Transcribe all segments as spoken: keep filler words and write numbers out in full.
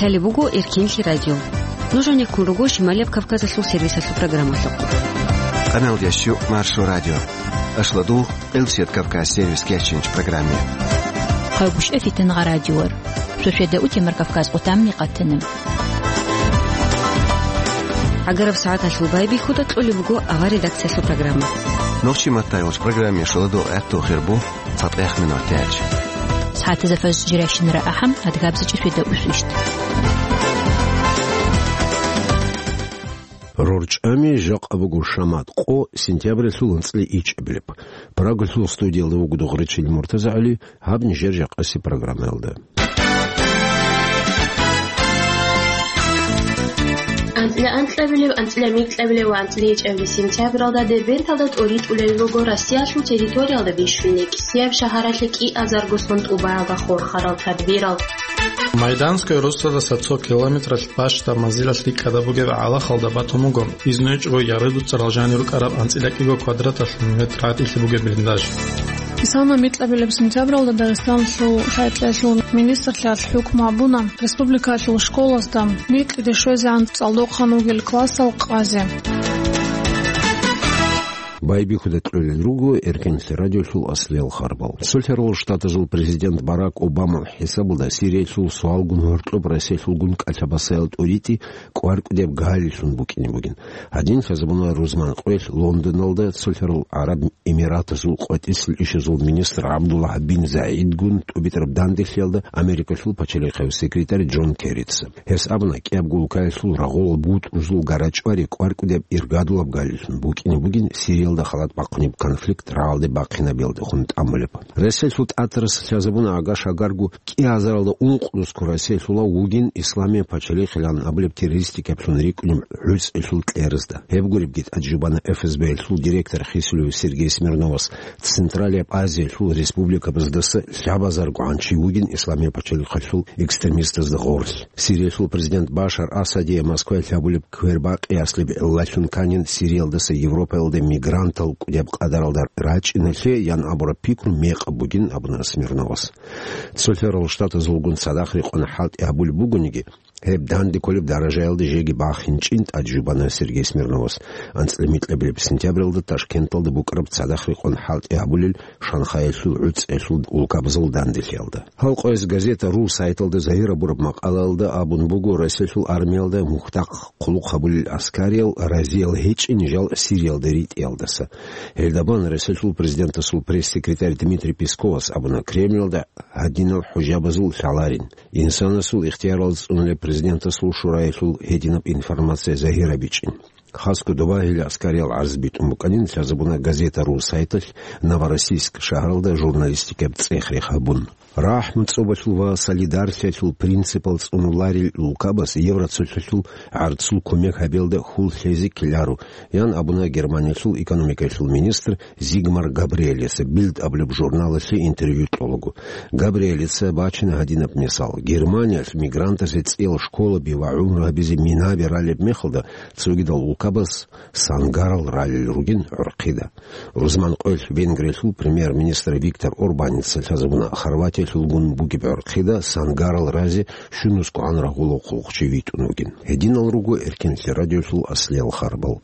Лъалеб буго Эркенлъи радио. Нуж гьанеккун руго Шималияб Кавказалъул сервисалъул программалъухъ. Къаналдияс щу Маршо радио. Ашладул Элсет Кавказ сервис кечинч программе. Хъайбушев Фитангъа радиор. Шошеда утемар Кавказ отам микъатана. Агараб сагӀаталъул байбихьуда кьолеб буго авар редакциялъул программа. Нохчи маттайолч программе шоладо гӀехту хирбу цатӀех минут тяч. СагӀатазда фаз жиращинара ахӀам, адгабзичӀи шведа усвищт. РорчӀами жакъа буго шамат къо сентябралъул анцӀила ичӀабилеб. Прагалъул студиялда вуго Догърачил МуртазагӀали, гьаб нижер жакъаси программаялда. АнцӀила анкьабилеб, анцӀила микьабилеб ва анцӀила ичӀабилеб сентябралда Дербенталда тӀоритӀулел руго Россиялъул территориялда бищун кӀисияб шагьаралъе кӀиазарго сон тӀубаялда хурхарал тадбирал. Майданская росдалдаса цо километралъ бащдаб манзилалъ рикӀкӀада бугеб гӀалахалда батун буго, изнойчӀого яридуцарал жанир рукӀараб анцӀила кӀиго квадраталъ метр гӀатӀилъи бугеб блиндаж. Кисана микьабилеб сентябралда Дагъистаналъул хӀетӀлъиялъул министрлъиялъ хӀукму гьабуна республикалъул школазда микьиде щвезегӀан цӀалдохъан вугел классал къазе. Байбихьуда кьолел руго Эркенлъи радиолъул аслиял харбал. Цолъарал Штатазул президент Барак Обамал хӀисабалда Сириялъул суалгун гьоркьоб Россиялъулгун кӀалъабасаял тӀоритӀи кӀваркӀудеб галилъун букӀине бугин. Гьадин лъазабуна рузман къоялъ Лондоналда Цолъарал ГӀараб Эмиратазул къватӀисел ишазул министр ГӀабдуллагь бин ЗагӀидгун тӀубитӀараб данделъиялда Америкалъул пачалихъав секретарь Джон Керрица. Гьес абуна, кӀиябго улкаялъул рагъулал бутӀрузул гарачӀвари кӀваркӀудеб иргадулаб галилъун букӀине бугин Сириялда халат бахъунеб конфликт рагӀалде бахъинабиялдехун тӀамулеб. Россиялъул ТӀатарас лъазабуна, агаш-агарго кӀиазаралда ункънусго Россиялъулав вугин Исламияб пачалихъилан абулеб террористикаблъун рикӀкӀунеб гӀуцӀелъул кьеразда. Гьеб гуребги тӀаде жубана ФСБ-ялъул директор Хисулев Сергей Смирновас Централияб Азиялъул республикабаздаса лъабазарго гӀанчи вугин Исламияб пачалихъалъул экстремистазда гъорлъ. Сириялъул президент Башар Асадие Москваялъ гьабулеб квербакъи аслеб гӀиллалъун канин Сириялдаса Европаялде мигрантал кӀудияб къадаралда рачӀиналъе ян абураб пикру мекъаб бугин абуна Смирновас. Цолъарал Штатазулгун цадахъ рекъон хӀалтӀи гьабулеб бугониги, гьеб данде кколеб даражаялда жеги бахинчӀин тӀаде жубана Сергей Смирновас анцӀила микьабилеб сентябралда Ташкенталда букӀараб цадахъ рекъон хӀалтӀи гьабулел Шанхаялъул гӀуцӀелъул улкабазул данделъиялда. Гьал къояз газета ру сайталда загьир гьабураб макъалаялда абун буго, Россиялъул армиялда мухьдахъ хъулухъ гьабулел аскариял разиял гьечӀин жал Сириялда ритӀиялдаса. Гьелда бан Россиялъул президентасул пресс-секретарь Дмитрий Песковас абуна, Кремльалда гьадинал хӀужабазул лъаларин. Инсанасул ихтиярал цӀунулеб президентасул шураялъул гьединаб информация загьирабичӀин. Хасго добагьиле аскариял гӀарз битӀун букӀанин лъазабуна газета ру сайталъ Новороссийск шагьаралда журналистикаб цӀех-рех гьабун. РахӀму цӀобалъул ва солидарносталъул принципал цӀунуларел улкабаз Евроцолъалъул гӀарцул кумек гьабиялда хьул лъезе ккеларо, ян абуна Германиялъул экономикаялъул министр Зигмар Габриэлица Билд абулеб журналалъе интервью кьолаго. Габриэлица бачина гьадинаб мисал: Германиялъ мигрантазе цӀиял школаби ва гӀумру гьабизе минаби ралеб мехалда, цогидал улкабаз сангарал ралел ругин гӀурхъида. Рузман къоялъ Венгриялъул премьер-министр Виктор Орбаница лъазабуна Хорватиялъулгун бугеб гӀурхъида сангарал разе щунусгогӀан рагъулав хъулухъчи витӀун вугин. Гьединал руго Эркенлъи радиолъул аслиял харбал.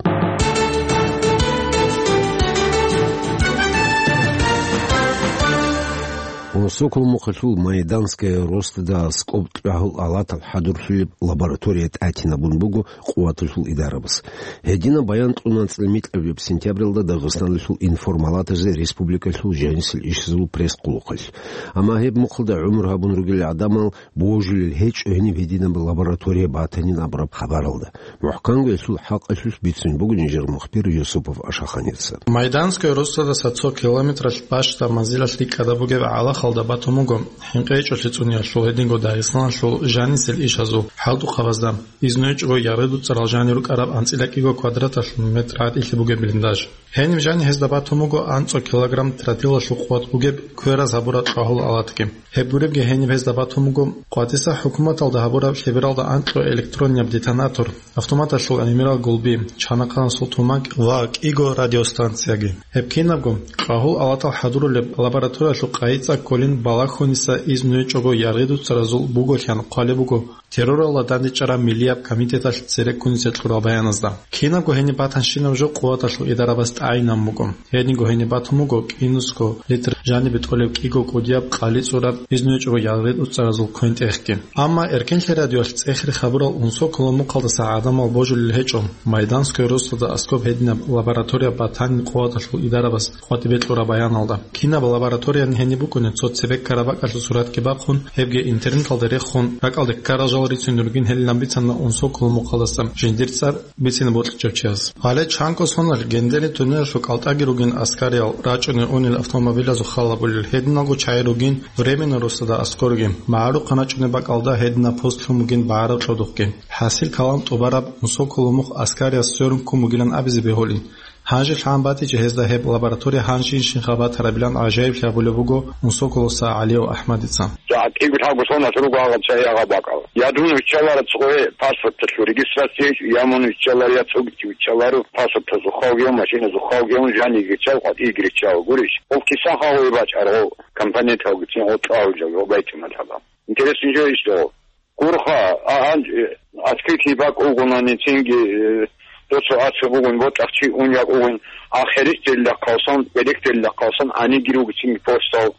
Унсокол мухъалъул Майданская росдада аскӀоб кьагьул алатал хӀадурлъулеб лаборатория тӀатинабун буго къуваталъул идарабаз. Гьединаб баян кьуна анцӀила микьабилеб сентябралда Дагъистаналъул информалатазе республикалъул жанисел ишазул пресс-къулухъалъ. Амма гьеб мухъалда гӀумру гьабун ругел гӀадамал божулел гьечӀо гьениб гьединаб лаборатория батанин абураб хабаралда. МухӀканго гьелъул хӀакъалъулъ бицун буго нижер мухбир Юсупов Ашаханица. Майданская росдадаса цо километралъ бащдаб манзилалъ рикӀкӀада бугеб гӀалахалда батун буго, хӀинкъи гьечӀолъи цӀуниялъул гьединго Дагъистаналъул жанисел ишазул хӀалтӀухъабазда. Изну гьечӀого яридуцарал жанир рукӀараб анцӀила кӀиго квадраталъ метр гӀатӀилъи бугеб блиндаж. Гьениб жани гьезда батун буго анцӀо килограмм тротилалъул къуват бугеб квераз гьабураб кьагьул алатги. Гьеб гуребги гьениб гьезда батун буго къватӀиса хӀукуматалда гьабураб лъебералда анкьго электроннияб детонатор, автоматалъул гӀемерал гулби, чанахъанасул тумакь ва кӀиго радиостанцияги. Гьеб кинабго кьагьул алатал хӀадурулеб лабораториялъул къайи цӀа кколин Балахьуниса изну гьечӀого яргъи дуцаразул бугоян хъвалеб буго терроралда дандчӀвараб миллияб комитеталъ цереккуниса кьураб баяназда. Кинабго гьениб батанщинаб жо къуваталъул идарабаз тӀагӀинаб буго. Гьединго гьениб батун буго кӀинусго литр жанибе тӀолеб кӀиго кӀудияб къали цӀураб изну гьечӀого яргъи дуцаразул квен-тӀехги. Амма Эркенлъи радиоялъ цӀехре хабурал Унсоколо мухъалдаса гӀадамал божулел гьечӀо, Майданское руслода аскоб гьединаб лаборатория батани къуваталъул идарабаз къватӀибе кьураб баяналда. Кинаб лабораторияни гьениб букӀунеб цо цебе ккараб бакӀалъул суратги бахъун, гьебги интернеталда рехун, ракӀалде ккарал жал рицунел ругин гьелилан бицана Унсоколо мухъалдаса жиндир цӀар бицине бокьичӀев чияс. Гьале чанго соналъ Гендери тунелалъул кӀалтӀаги ругин аскариял рачӀунел-унел автомобилазул хал гьабулел, гьединалго чагӀи ругин Временное руслода аскорги, магӀарухъан рачӀунеб бакӀалда гьединаб пост лъун бугин багӀараб кьодухъги. ХӀасил калам тӀубараб Унсоколо мухъ аскарияс сверун ккун бугилан абизе бегьулин. Гьанже лъан батичӀо гьезда гьеб лаборатория гьанжинщинха батарабилан гӀажаиблъи гьабулеб буго Унсоколоса ГӀалияв АхӀмадица. ЖагӀтӀиго лъабго соналъ руго гьагъаб цайи гьагъаб бакӀал. Я дун виччаларо цогӀе паспорталъул регистрация, я мун виччаларо, я цогичи виччаларо, паспортазул халги, машиназул халги, жаниги чал, къватӀиги риччал. Гурищ, гъов кисан хагъуе бачӀар, гъов компоненталгицин, гъов тӀагьуджал, гъов байтимал гьабал. Интересный жо иш догъо. Гурха, а, гьанже, э, открытый бакӀ угонаницинги, э, доцо ацу бугун, ботӀахъ чи ун якӀугун, а хересдерилахъалсан, берекдерилахъалсан гьаниги ругицинги постал,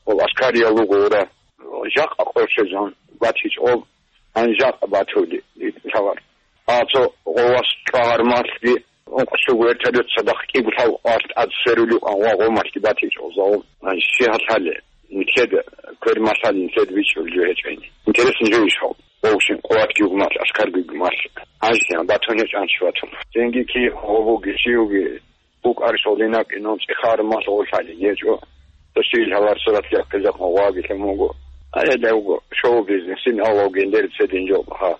ва аскариял руго ура. Жакъа къоршезан батичӀо, гьанжакъа батули лъавар. А цо гъовас чӀвагӀар малъги, ункъсуго вертолет цадахъ кӀиго лъав арт ад сверулев ан ва гъомалъги батичӀо загъун. Гьанже щи гьалъали, нилъеда квер малъали нилъеда бичӀчӀулев гьечӀайни. Интересный жо иш гьав. Вовшин къуватги гумалъ, аскарги гумалъ. Гьанже батун гьечӀан чи батун. Цинги ки гъобуги, щиуги, букӀарищ гъолинаб инан цӀехар малъ гъолъали гьечӀо. Досил гьавар сурат лехъизахъ гъваги лъун вуго. Гьедавго шоу-бизнесин авал гендер цедин жо гьа.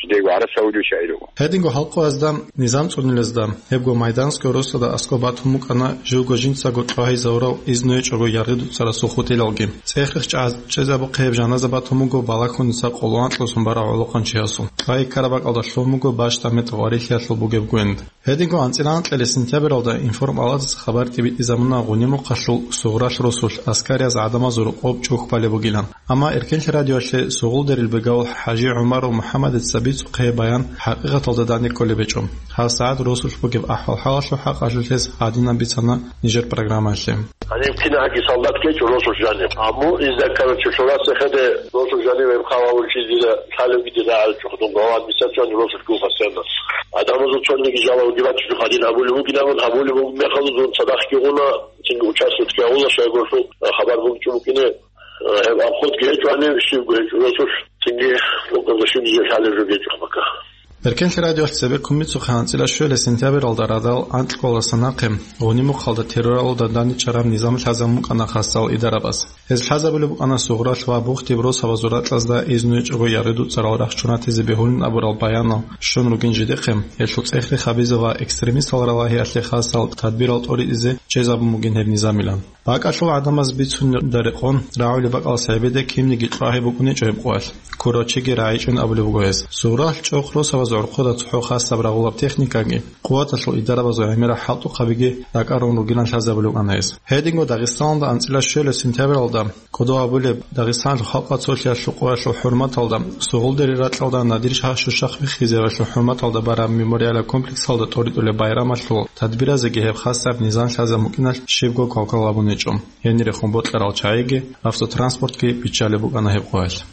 Жидего гӀарасавулев шагьир вуго. Гьединго халкъазда низам цӀунилезда, гьебго Майданское руслода аскӀоб батун букӀана живго жинцаго чӀвагьизавурав изну гьечӀого яргъи дуцарасул хутӀилалги. ЦӀехрехъ чӀа-, чӀезабухъе гьеб жаназа батун буго Балахьуниса къоло анкьлъусун барав гӀолохъанчи гьасул. ЧӀвай ккараб бакӀалда лъун буго бащдаб метр гъварилъиялъул бугеб гвенд. Гьединго анцӀила анкьалъе сентябралда информаладаса хабар тӀибитӀизабуна Гъуни мухъалъул Сугъралъ росулъ аскариязда гӀадамазул рокъоб чӀухь балеб бугилан. Амма Эркенлъи радиоялъе Сугъулдерил бегавул ХӀажи ГӀумаров МухӀаммадица бицухъе баян хӀакъикъаталда данде кколеб гьечӀо. Гьаб сагӀат росулъ бугеб ахӀвал-хӀалалъул хӀакъалъулъ гьес гьадинаб бицана нижер программаялъе. Гьаниб кинабги солдат гьечӀо росулъ жанив. Амма изда, короче, лъурасехъеде росулъ жанив гьеб хъалалъулъ дида лъалебги дида гӀалчӀухъ дун глава администрации росулъ гуха сцена. Адамазул цониги жала уги бачӀухъ гьадин гьабулеб бугин абун гьабулеб бугеб мехалда дун цадахъги гъуна, цинги участокги гьавула, щайгурелъул хабар бугичӀо букӀине. Гьеб обходги гьечӀо гьанив, щибго гьечӀо росулъ, цинги тӀокӀаб щиб жо лъалеб жо гьечӀо гьабака. Эркенлъи радиоялъ цебе кумбицухъе анцӀила щуялъ сентябралда радал анкьалдаса нахъе Гъуни мухъалда терроралда данде чӀараб низам лъазабун букӀана хасал идарабаз. Гьез лъазабулеб букӀана Сугъралъ ва Бухтиб росабазул ракьазда изну гьечӀого яргъи дуцарал рахчун ратизе бегьулин абурал баянал щун ругин жидехъе, гьелъул цӀехрехъ гьабизе ва экстремистал ралагьиялъе хасал тадбирал тӀоритӀизе чӀезабун бугин гьеб низамилан. БакӀалъул гӀадамаз бицунда рекъон, рагӀулеб бакӀалас гьебеде кинниги кьвагьи букӀуничӀо гьеб къоялъ. Ккурав чиги рагӀичӀин абулеб буго гьес. Сугъралъ чӀохъ росабазул гӀурхъуда цохӀо хасаб рагъулаб техникаги, къуваталъул идарабазул гӀемерал хӀалтӀухъабиги ракӀарун ругилан лъазабулеб букӀана гьес. Гьединго Дагъистаналда анцӀила щуялъ сентябралда кӀодо гьабулеб Дагъистаналъул халкъ цолъиялъул къоялъул хӀурматалда Сугъулдери ракьалда Надир шагь-шуршахъ виххизавалъул хӀурматалда бараб мемориалаб комплексалда тӀоритӀулеб байрамалъул тадбиразеги гьеб хасаб низам лъазабун букӀиналъ щибго квалквал гьабун гьечӀо. Гьенире хун бокьарал чагӀиги, автотранспортги биччалеб букӀана гьеб къоялъ.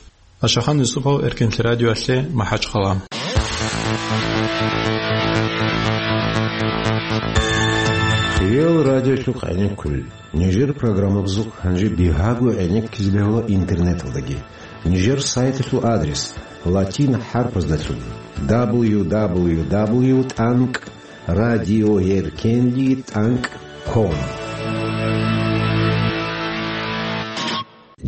Ашахан Юсупов, Эркенлъи радиоялъе, МахӀачхъала. Хириял радиолъухъ гӀенеккулел. Нижер программабазухъ гьанже бигьаго гӀенеккизе бегьула интернеталдаги. Нижер сайталъул адрес: латин хӀарпаздалъун: дабл ю дабл ю дабл ю тӀанкӀ радиоэркенлъи тӀанкӀ ком.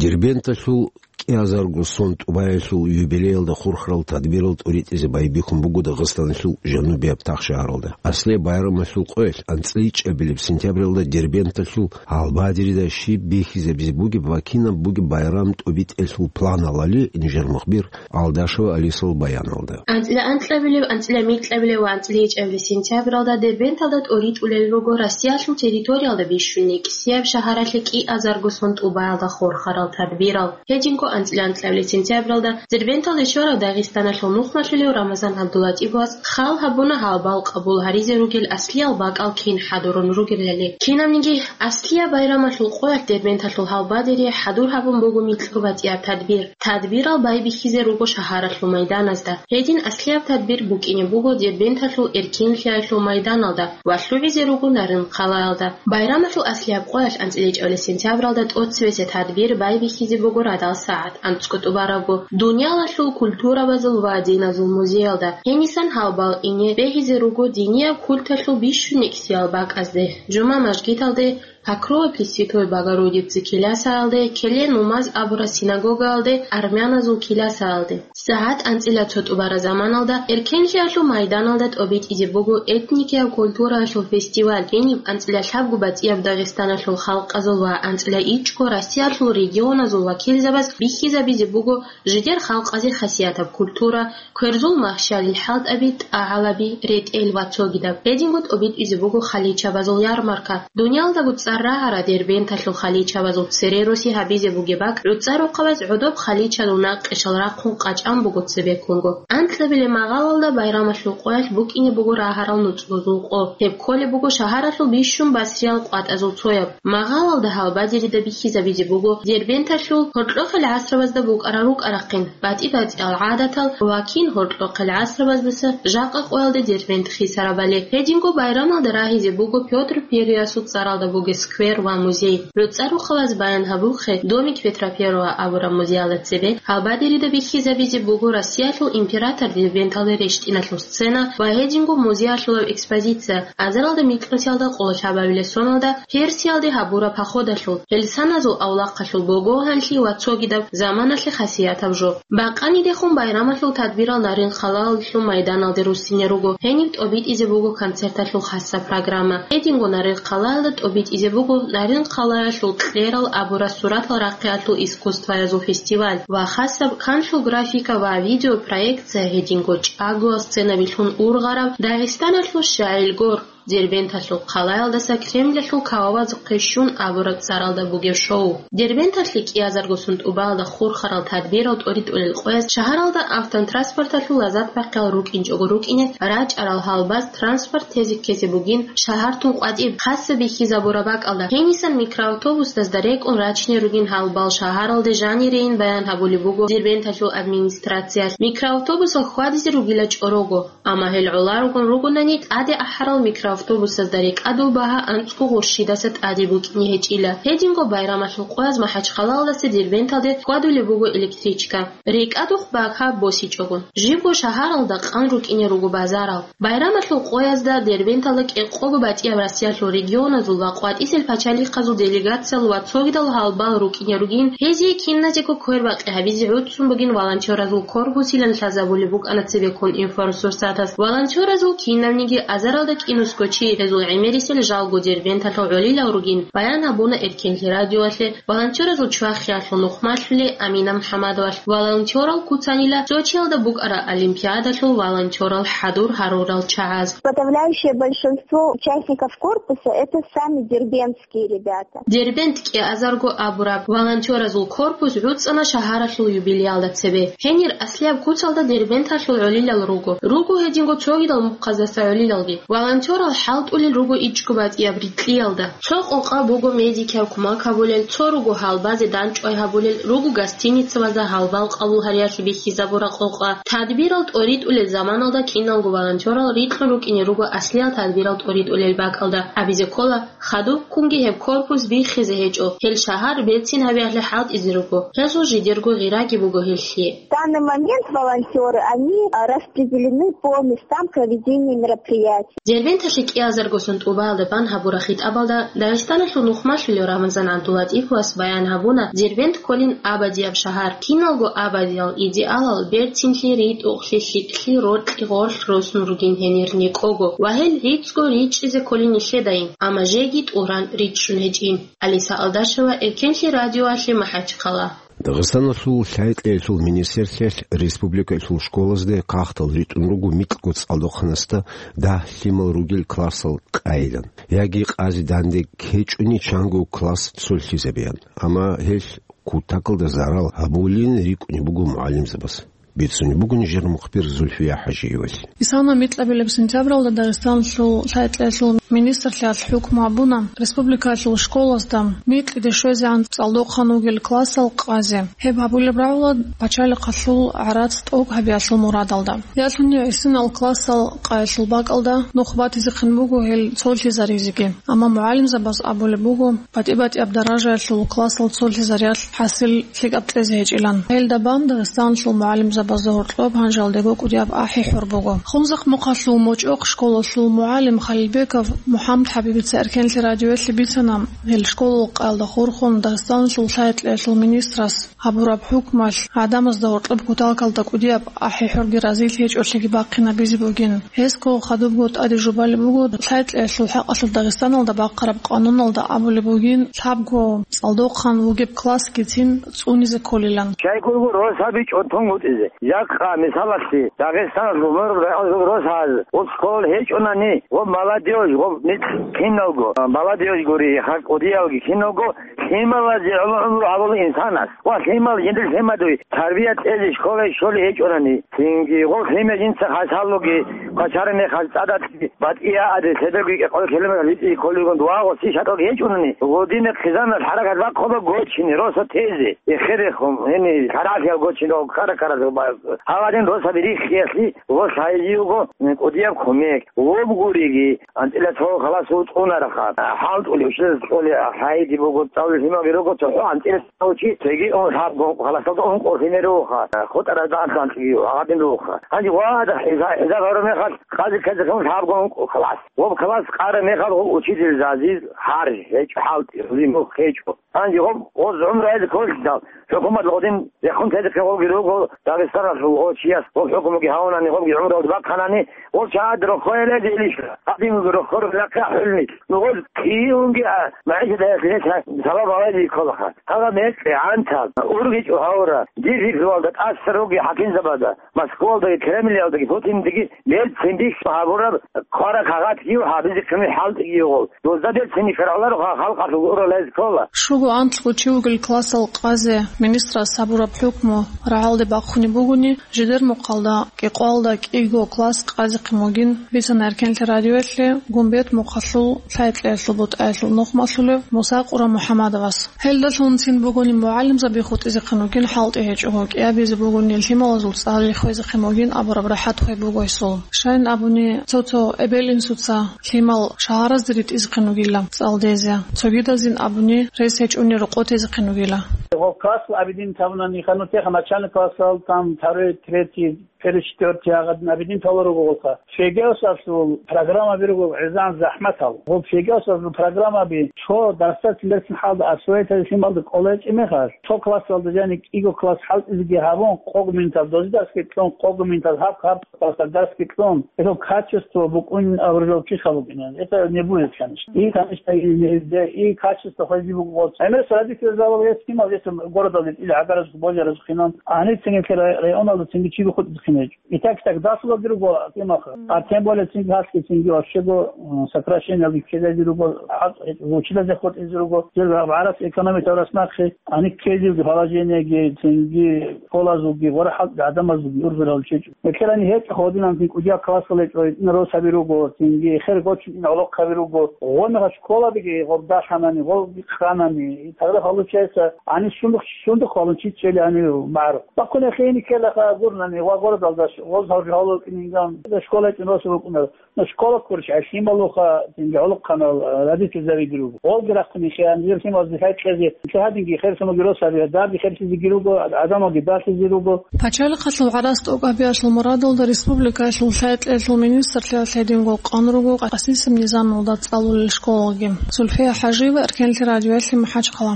Дербенталъул кӀиазарго сон тӀубаялъул юбилеялда хурхарал тадбирал тӀоритӀизе байбихьун буго Дагъистаналъул жанубияб Тахшагьаралда. Аслияб байрамалъул къоялъ анцӀила ичӀабилеб сентябралда Дербенталъул гьалбадерида щиб бихьизабизе бугеб ва кинаб бугеб байрам тӀобитӀиялъул планалали нижер мухбир Алдашева Алисал баяналда. АнцӀила анкьабилеб, анцӀила микьабилеб ва анцӀила ичӀабилеб сентябралда Дербенталда тӀоритӀулел руго Россиялъул территориялда бищун кӀиаб шагьаралъе кӀиазарго сон тӀубаялда хурхарал тадбирал. Гьединго анцӀила анкьабилеб сентябралда Дербенталде щварав Дагъистаналъул нухмалъулев Рамазан ГӀабдуллатӀиповас хал гьабуна гьалбал къабул гьаризе ругел аслиял бакӀал кин хӀадурун ругелали. Кинабниги аслияб байрамалъул къоялъ Дербенталъул гьалбадере хӀадур гьабун буго микьго батӀияб тадбир. Тадбирал байбихьизе руго шагьаралъул майданазда. Гьедин аслияб тадбир букӀине буго Дербенталъул эркенлъиялъул майданалда ва лъугӀизе руго Нарин-хъалаялда. Байрамалъул аслияб къоялъ анцӀила ичӀабилеб сентябралда тӀоцебесеб тадбир байбихьизе буго радал сагӀат анцӀго тӀубарабго дуниялалъул культурабазул ва диназул музеялда. Гьенисан гьалбал ине бегьизе руго динияб культалъул бищун кӀиаб бакӀазде, жума мажгиталде, Покрова Пресвятой Богородицы киласаялде, Келе нумаз абураб синагогаялде, армяназул киласаялде. СагӀат анцӀила цо тӀубараб заманалда эркенлъиялъул майданалда тӀобитӀизе буго этникияб культураялъул фестиваль. Гьениб анцӀила лъабго батӀияб Дагъистаналъул халкъазул ва анцӀила ичӀго Россиялъул регионазул вакилзабаз бихьизабизе буго жидер халкъазе хасиятаб культура, кверзул махщалил хӀалтӀаби, тӀагӀалаби, ретӀел ва цогидаб. Гьединго тӀобитӀизе буго халичабазул ярмарка. Дуниялдаго цӀар рагӀарал Дербенталъул халичабазул цере роси гьабизе бугеб бакӀ гӀуцӀа рохъабаз гӀодоб халичазул накъишал рахъун къачӀан буго цебеккунго. Анкьабилеб магъалалда байрамалъул къоялъ букӀине буго рагьарал нуцӀрузул къо. Гьеб кколеб буго шагьаралъул бищун басриял къватӀазул цояб. Магъалалда гьалбадерида бихьизабизе буго Дербенталъул гьоркьохъел гӀасрабазда букӀарал рукӀа-рахъин, батӀи-батӀиял гӀадатал ва кин гьоркьохъел гӀасрабаздаса жакъа къоялде Дербент хисарабали. Гьединго байрамалда рагьизе буго Пётр Первыйасул цӀаралда бугеб сквер ва музей. ГӀуцӀа рохъабаз баян гьабулхъе, Домик Петра Первого абураб музеялда цебе гьалбадерида бихьизабизе буго Россиялъул император Дербенталде рещтӀиналъул сцена ва гьединго музеялъулаб экспозиция, азаралда микьнусиялда къоло лъабабилеб соналда Персиялде гьабураб походалъул, гьелсаназул авлахъалъул богогьанлъи ва цогидаб заманалъе хасиятаб жо. Бакъанидехун байрамалъул тадбирал Нарин-хъалаялъул майданалде руссине руго. Гьениб тӀобитӀизе буго концерталъул хасаб программа. Гьединго Нарин-хъалаялда тӀобитӀизе буго Нарин-хъалаялъул кьерал абураб суратал рахъиялъул искусствоязул фестиваль ва хасаб канлъул графика ва видеопроекция, гьединго чӀаголъ сценабилъун ургъараб Дагъистаналъул шагьил гор. Дербенталъул хъалаялдаса Кремлалъул кавабазухъе щун абураб цӀаралда бугеб шоу. Дербенталъе кӀиазарго сон тӀубаялда хурхарал тадбирал тӀоритӀулел къоялъ шагьаралда автотранспорталъул лазат бахъиялъ рукӀинчӀого рукӀине, рачӀарал гьалбаз транспорт тезе ккезе бугин шагьартун къватӀиб хасаб бихьизабураб бакӀалда. Гьенисан микроавтобусдазда рекӀун рачине ругин гьалбал шагьаралде жанирейин баян гьабулеб буго Дербенталъул администрациялъ. Микроавтобусал хьвадизе ругила чӀорого. Амма гьел гӀоларогун ругонани, тӀаде ахӀарал микроавтобусазда рекӀадул багьа анцӀго гъурщидаса тӀаде букӀине гьечӀила. Гьединго байрамалъул къояз МахӀачхъалаялдаса Дербенталде хьвадулеб буго электричка. РекӀадухъ багьа босичӀого. Жибго шагьаралда къан рукӀине руго базарал. Байрамалъул къоязда Дербенталда кӀикъого батӀияб Россиялъул регионазул ва къватӀисел пачалихъазул делегациял ва цогидал гьалбал рукӀине ругин, гьезие киназего квербакъи гьабизе гӀуцӀун бугин волонтеразул корпусилан лъазабулеб букӀана цебеккун информсурсатас. Волонтеразул кинавниги азаралда кӀинусго чи, гьезул гӀемерисел жалго Дербенталъул гӀолилал ругин, баян гьабуна Эркенлъи радиоялъе волонтеразул чвахиялъул нухмалъулев Амина МухӀаммадовалъ. Волонтерал куцанила Сочиялда букӀараб олимпиадалъул волонтерал хӀадур гьарурал чагӀаз. Подавляющее большинство участников корпуса — это сами дербентские ребята. Дербент кӀиазарго абураб волонтеразул корпус гӀуцӀана шагьаралъул юбилеялда цебе. Гьенир аслияб куцалда Дербенталъул гӀолилал руго. Руго гьединго цогидал мухъаздаса гӀолилалги. Волонтерал хӀалтӀулел руго ичӀго батӀияб рикьиялда. Цо къокъа буго медикиял кумак гьабулел, цо руго гьалбазе дандчӀвай гьабулел, руго гостиницабазда гьалбал къабул гьариялъе бихьизабураб къокъа. Тадбирал тӀоритӀулел заманалда киналго волонтерал рикьун рукӀине руго аслиял тадбирал тӀоритӀулел бакӀалда. Абизе ккола, хадубккунги гьеб корпус биххизе гьечӀо, гьел шагьар берцин гьабиялъе хӀалтӀизе руго, гьезул жидерго гъираги буго гьелъие. В данный момент волонтеры, они, а, распределены по местам проведения мероприятий. Дербенталъе КӀиазарго сон тӀубаалда бан гьабураб хитӀабалда Дагъистаналъул нухмалъулев Рамазан ГӀабдуллатӀиповас баян гьабуна Дербент кколин абадияб шагьар, киналго абадиял идеалал, берцинлъи, ритӀухълъи, лъикӀлъи, рокьи, гъорлъ росун ругин гьенир никӀого ва гьел рицӀго ричӀчӀизе кколин нилъедайин, амма жеги тӀуран ричӀчӀун гьечӀин. Алиса Алдашева, Эркенлъи радиоялъе МахӀачхъала. Дагъистаналъул лъай-кьеялъул министрлъиялъ республикаялъул школазде хъахӀдал ритӀун руго микьго цӀалдохъанасда дагь лъимал ругел классал къайилан, яги къазе данде ккечӀони чанго класс цолъизабеян. Амма гьелъ кутакалда зарал гьабулин рикӀкӀунеб буго мугӀалимзабаз. Бицунеб буго нижер мухбир Зульфия ХӀажиевалъ. Исана микьабилеб сентябралда Дагъистаналъул лъай-кьеялъул министрлъиялъ хӀукму гьабуна республикаялъул школазда микьиде щвезегӀан цӀалдохъан вугел классал къазе. Гьеб гьабулеб рагӀула пачалихъалъул гӀарац тӀокӀ гьабиялъул мурадалда. Ялъуни гӀисинал классал къайилъул бакӀалда нух батизехъин буго гьел цолъизаризеги. Амма мугӀалимзабаз абулеб буго, батӀи-батӀияб даражаялъул классал цолъизариялъ хӀасил лъикӀаб кьезе гьечӀилан. Гьелда бан Дагъистаналъул мугӀалимзабазда гьоркьоб гьанжалдего кӀудияб ахӀи-хӀур буго. Хунзахъ-Мухъалъул МочӀохъ школалъул мугӀалим Халилбеков МухӀамад ХӀабибица Эркенлъи радиоялъе бицана, гьел школал къайилда хурхун Дагъистаналъул лъай-кьеялъул министрас гьабураб хӀукмалъ гӀадамазда гьоркьоб кутакалда кӀудияб ахӀи-хӀурги разилъи гьечӀолъиги бахъинабизе бугин. Гьесго хадубго тӀаде жубалеб буго, лъай-кьеялъул хӀакъалъулъ Дагъистаналда бахъараб къануналда абулеб бугин, лъабго цӀалдохъан вугеб классгицин цӀунизе кколилан. Щайгурго росаби чӀунтун гутӀизе, жакъа, мисалалъе, Дагъистаналъул мураб районалъул росаз, гъоб школал гьечӀунани, гъоб молодёжь, гъоб микь киналго, молодёжь гури, хъа-, кӀудиялги киналго, лъималазе гӀумру гьабула инсанас. Ва лъимал жиндир лъимадуй тарбия кьезе школае щолей гьечӀунани, цинги гъол лъимер жинца хъасаллуги, квачараб мехалъ цӀадалъги батӀияаде, лъеберго кӀикъоялда километр литӀи кколигун дугӀа гъоси шатӀалги гьечӀунани, гъодине хъизаналъ хӀаракат бахъуба гочине, росо тезе, эхерехун, гьениб лъарагӀлъиял гочине, кара-каразул ба-, гьаб гьадин росаби риххиялъе гъолъ гьайизе йиго кӀудияб кумек, гъоб гуриги, анцӀила цо халасул цӀунарабха, хӀалтӀулев, щвез кьолей гьайизе буго, цӀалулев лъималги руго, цохӀо анцӀила цо чи, цоги ун лъабго халасалда ункъо лъимер ругоха, хутӀарал дагьанлъанлъиги гьадин ругоха. Гьанже ва гьезда, гьезда гьарун мехалъ, къазе ккезе лъабго ункъо халас. Гъоб халас къараб мехалъ гъоб учитель Зазил гьаржи гьечӀо, хӀалтӀи, гьури мухь гьечӀо. Гьанже гъоб гъоз гӀумру гьезда кколъидал, хӀукуматалъ гъодин рехун тезехъин гъобги руго, Дагъистаналъул гъо чияс гъоб хӀукмуги гьавунани, гъобги гӀумруялде бахъанани, гъол чагӀаде рохойилазе илищ, гьадинги рохорулахъе хӀулни. Ну, гъоз киунги, а, магӀишат гьелъ гьес салам гьавазе кколаха. Гьаб мекъи гӀантал, ургъичӀо гьавура, дир рихьулалда тӀаса руги хӀакимзабазда, Москвалдаги, Кремльалдаги, Путиндаги, Берцин бихьа гьабураб квара кагъатги гьабизе ккани хӀалтӀиги гъол. Дозда берцин хьараларо халкъалъул урал гьез ккола. Щуго анлъго чи вугел классал къазе министрас гьабураб хӀукму рагӀалде бахъунеб бугони, жидер мухъалда кӀикъоялда кӀиго класс къазехъин вугин, бицана Эркенлъи радиоялъе Гумбет мухъалъул лъай-кьеялъул бутӀаялъул нухмалъулев Муса Къура МухӀамадовас. Гьелдалъун цин бугони мугӀалимзаби хутӀизехъин вугин хӀалтӀи гьечӀого, кӀиабизе бугони лъималазул цӀар риххвезехъин вугин абураб рахӀат хвей буго гьесул. Щайин абуни, цо-цо эбел-инсуца лъимал шагьаразде ритӀизехъин вугила цӀалдезе, цогидазин абуни рес гьечӀони рокъов тезехъин вугила. Гъоб классал абидин тавунани ханутеха начальный классал, там, второй, третий, первый, четвёртый гьагъадин абидин тавла руго гъолха. Фегиосалъул программаби руго гӀезегӀан захӀматал. Гъоб фегиосалъул программаби цо дарсдацин берцин хӀалда освоитазе лъималда кӀолайчӀеб мехалъ, цо классалда жаниб кӀиго класс хӀалтӀизеги гьабун, къого минутал дозе дарсги кьун, къого минутал гьаб-гьаб классалда дарсги кьун, гьелъул качество букӀунин абурал чи хабукӀинан. Это не будет, конечно. И, конечно, и, и, и качество хвезе буго. ГӀемерас родитель залал гьес лъимал, гьес городалде тӀил гӀагаразухъ, божаразухъ хинан, гьаницин гьелъ рай-, районалда цинги чиго хутӀизехъин гьечӀо. Итак, так, дасулалги руго, кӀимаха. А тем более цинги гьалъги цинги вообще-го, м, сокращениялги ккелалги руго, гьал-, гьечӀо, училизе хутӀизе руго, жер гьаб гӀарац экономикаялъ нахъе, гьаник ккезевги положениеги, цинги школазулги, гъора хӀалтӀи гӀадамазулги ургъурал чечӀо. Гьелъ гьаниб гьечӀо, гьодинан цин кӀудияб классал гьечӀо, гьитӀина росаби руго, цинги хер гочун гӀолохъаби руго. Гъо мегъа школабиги гъоб даханани, гъо ханани, и тогда получается, гьаниб сундухъ, сундухъ валун чи чӀели гьанив магӀарухъ. Бахъуни хейни ккелаха гурнани ва гъор Залда ш-, гъоз гьавги гьавлал кӀининган, школа гьечӀин росу рукӀунар. Ну, школа ккурищ гӀай лъималуха, цинги гӀолохъанал, э, родительзаби руго. Гъолги рахъун ихе, анжир лъималазде хӀекъезе, нилъер гьадинги херсунаги росаби, дарги херсизеги руго, гӀадамалги балъизе руго. Пачалихъалъул гӀарац тӀокӀабиялъул мурадалда республикаялъул лъай-кьеялъул министрлъиялъ гьединго къан руго Къасисеб низамалда цӀалулел школаги. Зульфия ХӀажиева, Эркенлъи радиоялъе, МахӀачхъала.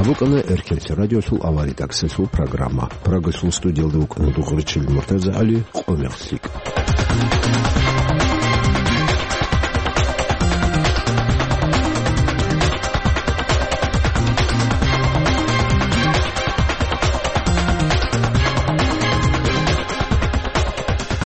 ГьабукӀана Эркенлъи радиолъул аваридаксалъул программа. Прагалъул студиялда вукӀана Дугъричил МуртазагӀали, къо мехлъи.